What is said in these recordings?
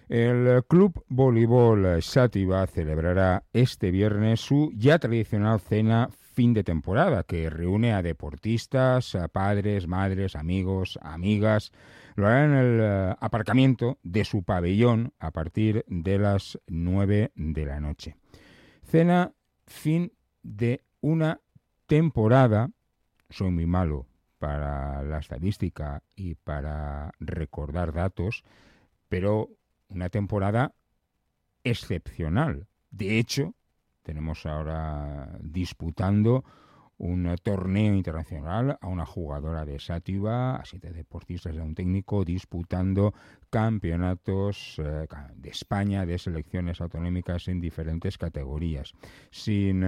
El Club Voleibol Xàtiva celebrará este viernes su ya tradicional cena fin de temporada, que reúne a deportistas, a padres, madres, amigos, amigas. Lo hará en el aparcamiento de su pabellón a partir de las 9 de la noche. Cena fin de una temporada. Soy muy malo para la estadística y para recordar datos, pero una temporada excepcional. De hecho, tenemos ahora disputando un torneo internacional a una jugadora de Xàtiva, a 7 deportistas y a un técnico disputando campeonatos de España, de selecciones autonómicas en diferentes categorías, sin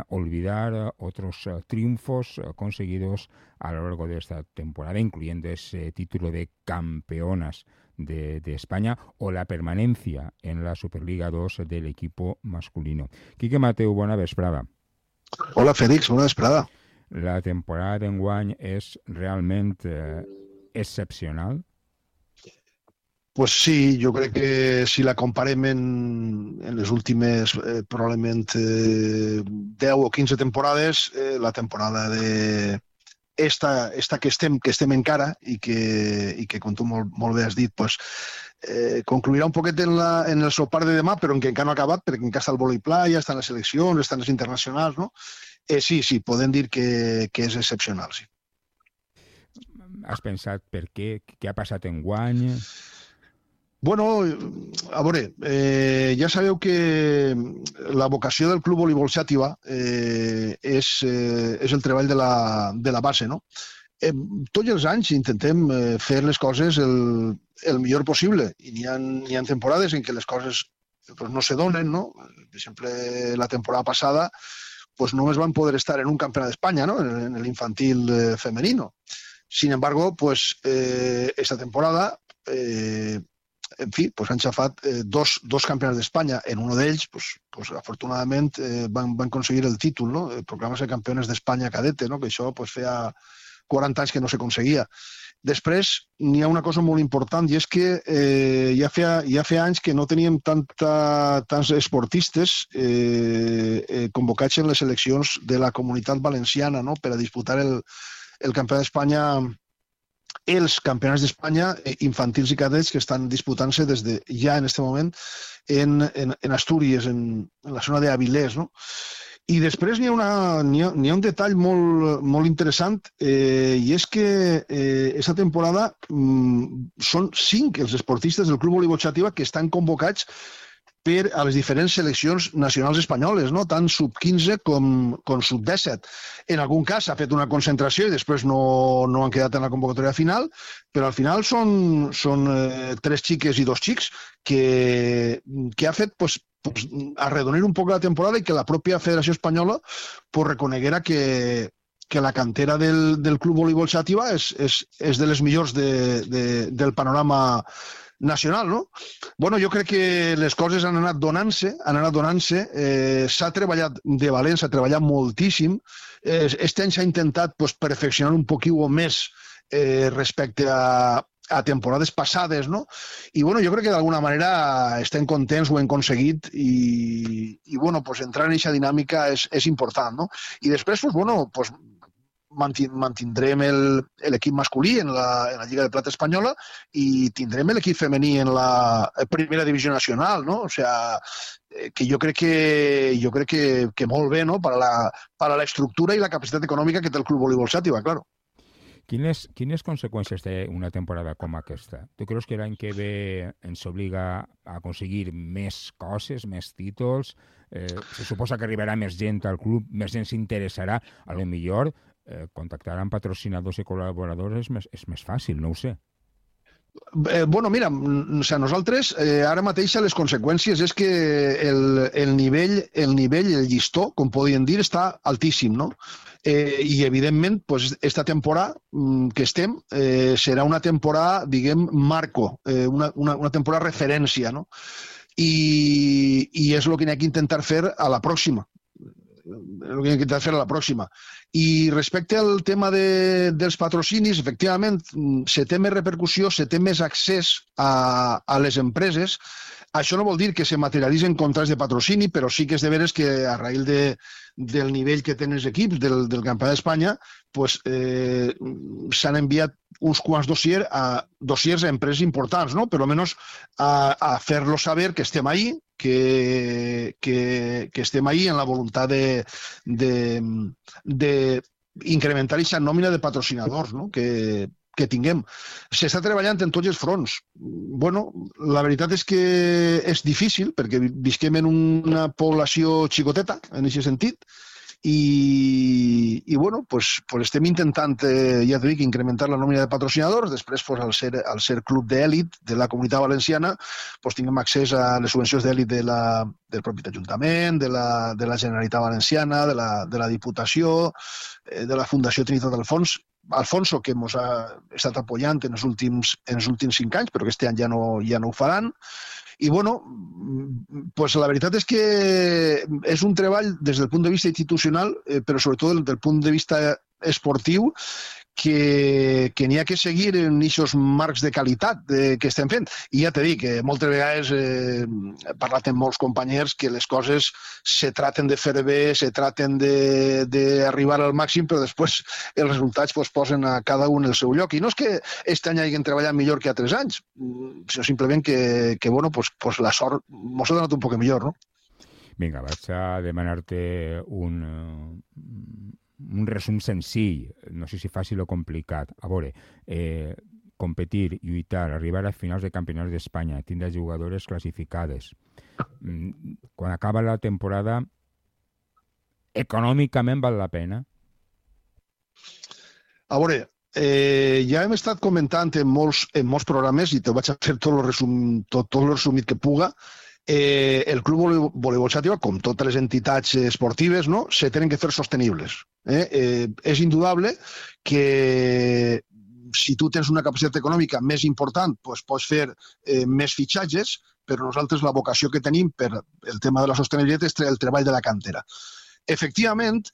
olvidar otros triunfos conseguidos a lo largo de esta temporada, incluyendo ese título de campeonas de España o la permanencia en la Superliga 2 del equipo masculino. Quique Mateu, bona vesprada. Hola, Félix, bona vesprada. La temporada d'enguany és realment excepcional? Pues sí, jo crec que si la comparem en les últimes probablement 10 o 15 temporades, la temporada de esta que estem encara i que com tu molt bé has dit, pues, concluirà un poquet en el sopar de demà, però en què encara no ha acabat, perquè encara està el vòlei playa, estan les seleccions, estan les internacionals, no? Sí, podem dir que és excepcional, sí. Has pensat per què? Què ha passat enguany? Bueno, a veure, ja sabeu que la vocació del Club Voleibol Xàtiva és el treball de la base, no? Tots els anys intentem fer les coses el millor possible i n'hi ha temporades en què les coses no se donen, no? Per exemple, la temporada passada només van poder estar en un campionat d'Espanya, ¿no? En el infantil femenino. Sin embargo, esta temporada en fi, han xafat dos campionats d'Espanya. En un d'ells, afortunadament, van aconseguir el títol, no? Proclamar-se campeones d'Espanya cadete, no? Que això feia 40 anys que no s'aconseguia. Després, n'hi ha una cosa molt important, i és que ja feia anys que no teníem tants esportistes convocats en les seleccions de la Comunitat Valenciana, no? Per a disputar el campionat d'Espanya, els campionats d'Espanya infantils i cadets que estan disputant-se des de ja en aquest moment en Astúries, en la zona d'Avilés, no? I després n'hi ha un detall molt interessant, i és que aquesta temporada són 5 els esportistes del Club Voleibol Xàtiva que estan convocats per a les diferents seleccions nacionals espanyoles, no? Tant sub-15 com sub-17. En algun cas s'ha fet una concentració i després no han quedat en la convocatòria final, però al final són 3 xiques i 2 xics que ha fet arredonir un poc la temporada i que la pròpia Federació Espanyola reconeguera que la cantera del Club Voleibol Xàtiva és de les millors del panorama nacional, no? Bueno, jo crec que les coses han anat donant-se, s'ha treballat de valent, s'ha treballat moltíssim. Este any s'ha intentat perfeccionar un poquillo més respecte a temporades passades, no? I bueno, jo crec que d'alguna manera estem contents, ho hem aconseguit i bueno, entrar en aquesta dinàmica és important, no? I després, mantindrem l'equip masculí en la Lliga de Plata espanyola i tindrem l'equip femení en la primera divisió nacional, no? O sea, que jo crec que molt bé, no? Per a l'estructura i la capacitat econòmica que té el Club Voleibol Xàtiva, claro. Quines conseqüències té una temporada com aquesta? Tu creus que l'any que ve ens obliga a aconseguir més coses, més títols? Se suposa que arribarà més gent al club, més gent s'interessarà, a lo millor contactar amb patrocinadors i col·laboradors és més fàcil, no ho sé. Bueno, mira, nosaltres ara mateix les conseqüències és que el nivell, el llistó, com podríem dir, està altíssim, no? I, evidentment, esta temporada que estem serà una temporada, diguem, marco, una temporada referència, no? I és el que n'hi ha que intentar fer a la pròxima. el que hem intentat fer a la pròxima. I respecte al tema dels patrocinis, efectivament, se té més repercussió, se té més accés a les empreses. Això no vol dir que se materialitzen contrats de patrocini, però sí que és de veres que a raïl del nivell que tenen els equips del Campionat d'Espanya, pues, s'han enviat uns quants dossiers a empreses importants, no? Per almenys a fer-los saber que estem ahí, que estem ahí en la voluntat d'incrementar aquesta nòmina de patrocinadors, no? Que tinguem. S'està treballant en tots els fronts. Bueno, la veritat és que és difícil, perquè visquem en una població xicoteta, en aquest sentit, i bueno, pues estem intentant, ja t'ho dic, incrementar la nòmina de patrocinadors. Després, pues, al ser club d'èlit de la Comunitat Valenciana, pues, tinguem accés a les subvencions d'èlit del propi Ajuntament, de la Generalitat Valenciana, de la Diputació, de la Fundació Trinitat Alfonso, que ens ha estat apoyant en els últims 5 anys, però aquest any ja no ho faran. I, bueno, pues la veritat és que és un treball des del punt de vista institucional, però sobretot des del punt de vista esportiu, que n'hi ha que seguir en aquests marcs de qualitat que estem fent. I ja t'he dit que moltes vegades he parlat amb molts companys que les coses se traten de fer bé, se traten d'arribar al màxim, però després els resultats posen a cada un el seu lloc. I no és que aquest any hagin treballat millor que altres anys, sinó simplement que bueno, pues la sort mos ha donat un poc millor, no? Vinga, vaig a demanar-te un resum senzill, no sé si fàcil o complicat. A veure, competir, lluitar, arribar a finals de campionats d'Espanya, tindre jugadores classificades. Quan acaba la temporada, econòmicament val la pena? A veure, ja hem estat comentant en molts programes, i te vaig a fer tot el resumit que puga. El Club Voleibol Xàtiva, com totes les entitats esportives, no, se tenen que fer sostenibles. És indudable que si tu tens una capacitat econòmica més important, doncs pots fer més fitxatges, però nosaltres la vocació que tenim per el tema de la sostenibilitat és el treball de la cantera. Efectivament,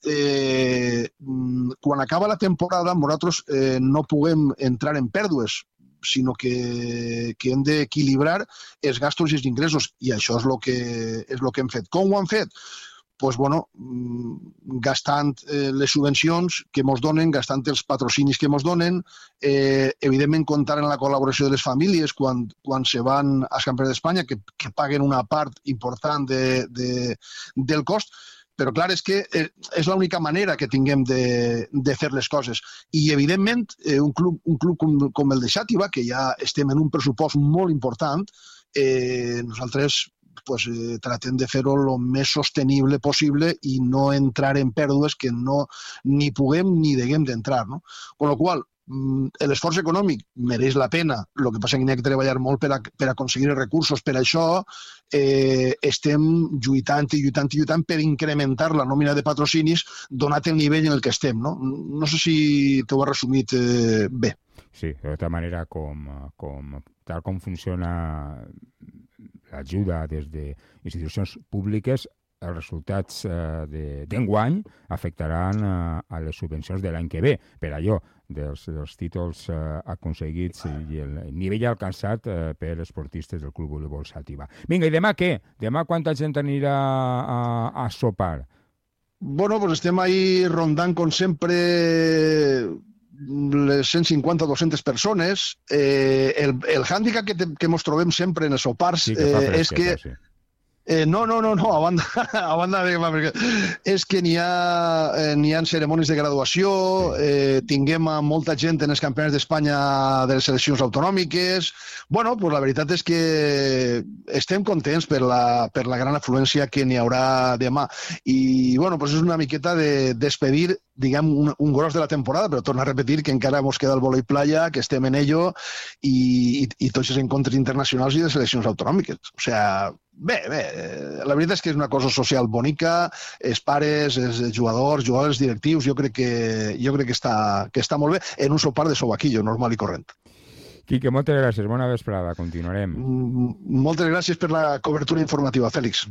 quan acaba la temporada, nosaltres no puguem entrar en pèrdues, sinó que hem d'equilibrar els gastos i els ingressos, i això és el que hem fet. Com ho hem fet? Doncs, bueno, gastant les subvencions que ens donen, gastant els patrocinis que ens donen, evidentment comptant en la col·laboració de les famílies quan se van als campionats d'Espanya, que paguen una part important del cost. Però, clar, és que és l'única manera que tinguem de fer les coses. I, evidentment, un club com el de Xàtiva, que ja estem en un pressupost molt important, nosaltres tratem de fer-ho el més sostenible possible i no entrar en pèrdues que ni puguem ni deguem d'entrar. Amb la qual cosa, l'esforç econòmic mereix la pena, el que passa és que n'hi ha que treballar molt per aconseguir els recursos. Per això estem lluitant per incrementar la nòmina de patrocinis donat el nivell en el que estem. No sé si t'ho he resumit bé. Sí, de tota manera, tal com funciona l'ajuda des d'institucions públiques, els resultats d'enguany afectaran a les subvencions de l'any que ve. Per allò, dels títols aconseguits i el nivell alcançat per esportistes del Club Voleibol Xàtiva. Vinga, i demà què? Demà quanta gent anirà a sopar? Bueno, pues estem ahí rondant, com sempre, les 150-200 persones. El hàndicap que ens trobem sempre en els sopars és que... No, a banda de... És que n'hi ha cerimònies de graduació, tinguem molta gent en els campionats d'Espanya de les seleccions autonòmiques. Bueno, pues la veritat és que estem contents per la gran afluència que n'hi haurà demà. I, bueno, pues és una miqueta de despedir, diguem, un gros de la temporada, però torno a repetir que encara ens queda el vòlei playa, que estem en ello, i tots els encontres internacionals i de seleccions autonòmiques. O sigui, bé, la veritat és que és una cosa social bonica, els pares, els jugadors, directius, jo crec que està molt bé en un sopar de sobaquillo, normal i corrent. Quique, moltes gràcies, bona vesprada, continuarem. Moltes gràcies per la cobertura informativa, Fèlix.